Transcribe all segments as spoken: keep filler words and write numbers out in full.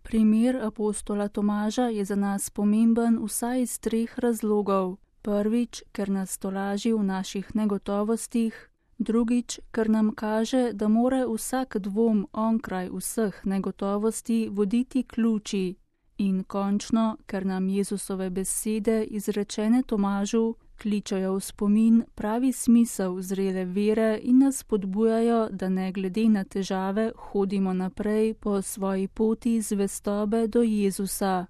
Primer apostola Tomaža je za nas pomemben vsaj iz treh razlogov. Prvič, ker nas tolaži v naših negotovostih, drugič, ker nam kaže, da mora vsak dvom onkraj vseh negotovosti voditi k luči, in končno, ker nam Jezusove besede, izrečene Tomažu, kličejo v spomin pravi smisel zrele vere in nas spodbujajo, da ne glede na težave hodimo naprej po svoji poti zvestobe do Jezusa.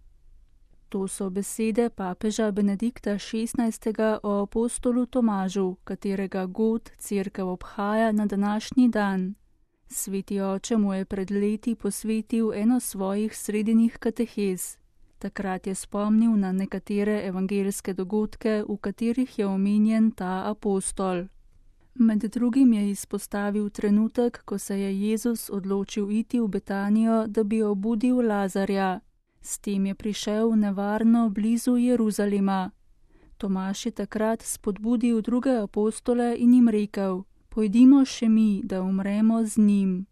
To so besede papeža Benedikta šestnajstega o apostolu Tomažu, katerega god cerkev obhaja na današnji dan. Sveti oče mu je pred leti posvetil eno svojih sredinih katehez. Takrat je spomnil na nekatere evangeljske dogodke, v katerih je omenjen ta apostol. Med drugim je izpostavil trenutek, ko se je Jezus odločil iti v Betanijo, da bi obudil Lazarja. S tem je prišel nevarno blizu Jeruzalema. Tomaž je takrat spodbudil druge apostole in jim rekel: "Pojdimo še mi, da umremo z njim."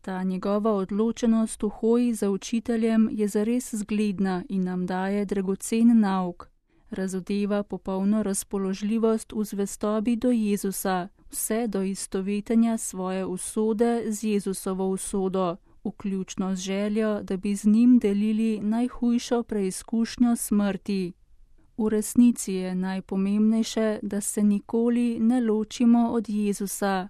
Ta njegova odločenost v hoji za učiteljem je zares zgledna in nam daje dragocen nauk. Razodeva popolno razpoložljivost v zvestobi do Jezusa, vse do istovetenja svoje usode z Jezusovo usodo, vključno z željo, da bi z njim delili najhujšo preizkušnjo smrti. V resnici je najpomembnejše, da se nikoli ne ločimo od Jezusa.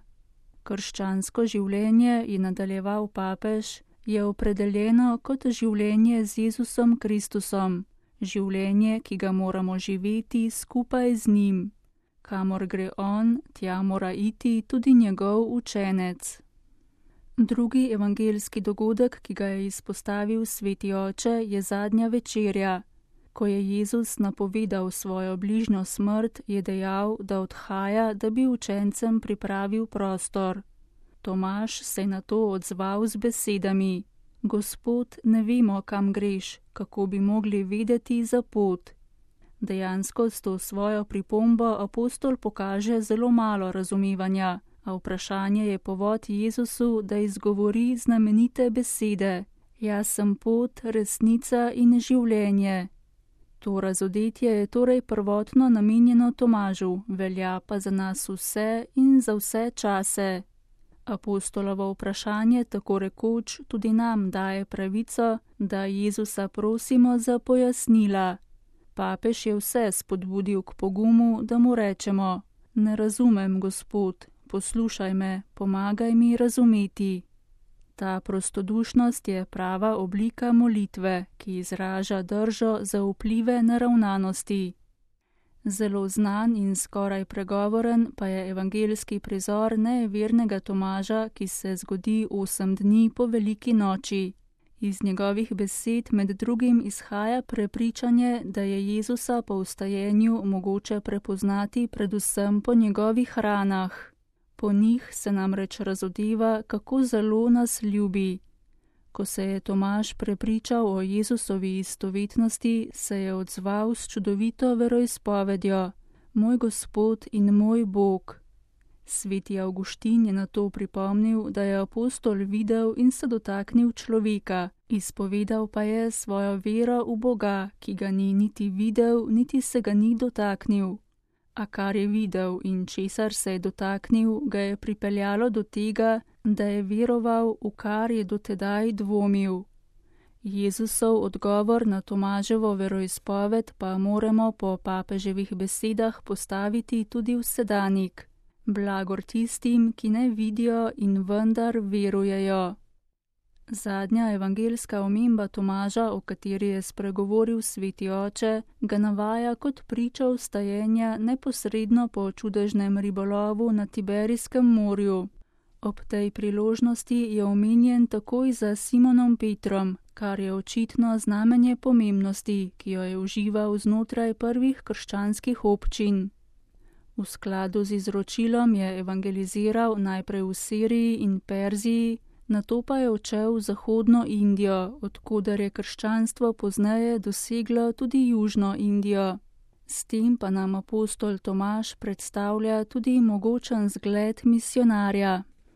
Krščansko življenje, je nadaljeval papež, je opredeljeno kot življenje z Jezusom Kristusom, življenje, ki ga moramo živeti skupaj z njim. Kamor gre on, tja mora iti tudi njegov učenec. Drugi evangeljski dogodek, ki ga je izpostavil sveti oče, je zadnja večerja. Ko je Jezus napovedal svojo bližnjo smrt, je dejal, da odhaja, da bi učencem pripravil prostor. Tomaž se je na to odzval z besedami: "Gospod, ne vemo, kam greš, kako bi mogli vedeti za pot." Dejansko s to svojo pripombo apostol pokaže zelo malo razumevanja, a vprašanje je povod Jezusu, da izgovori znamenite besede: "Jaz sem pot, resnica in življenje." To razodetje je torej prvotno namenjeno Tomažu, velja pa za nas vse in za vse čase. Apostolovo vprašanje tako rekoč tudi nam daje pravico, da Jezusa prosimo za pojasnila. Papež je vse spodbudil k pogumu, da mu rečemo: "Ne razumem, Gospod, poslušaj me, pomagaj mi razumeti." Ta prostodušnost je prava oblika molitve, ki izraža držo za vplive naravnanosti. Zelo znan in skoraj pregovoren pa je evangeljski prizor nevernega Tomaža, ki se zgodi osem dni po veliki noči. Iz njegovih besed med drugim izhaja prepričanje, da je Jezusa po vstajenju mogoče prepoznati predvsem po njegovih ranah. Po njih se namreč razodeva, kako zelo nas ljubi. Ko se je Tomaž prepričal o Jezusovi istovetnosti, se je odzval s čudovito veroizpovedjo: "Moj Gospod in moj Bog." Sveti Avguštin je na to pripomnil, da je apostol videl in se dotaknil človeka, izpovedal pa je svojo vero v Boga, ki ga ni niti videl, niti se ga ni dotaknil. A kar je videl in česar se je dotaknil, ga je pripeljalo do tega, da je veroval, v kar je dotedaj dvomil. Jezusov odgovor na Tomaževo veroizpoved pa moramo po papeževih besedah postaviti tudi v sedanik: "Blagor tistim, ki ne vidijo in vendar verujejo." Zadnja evangeljska omemba Tomaža, o kateri je spregovoril sveti oče, ga navaja kot pričo vstajenja neposredno po čudežnem ribolovu na Tiberijskem morju. Ob tej priložnosti je omenjen takoj za Simonom Petrom, kar je očitno znamenje pomembnosti, ki jo je užival znotraj prvih krščanskih občin. V skladu z izročilom je evangeliziral najprej v Siriji in Perziji, nato pa je odšel v zahodno Indijo, od koder je krščanstvo pozneje doseglo tudi južno Indijo. S tem pa nam apostol Tomaž predstavlja tudi mogočen zgled misionarja.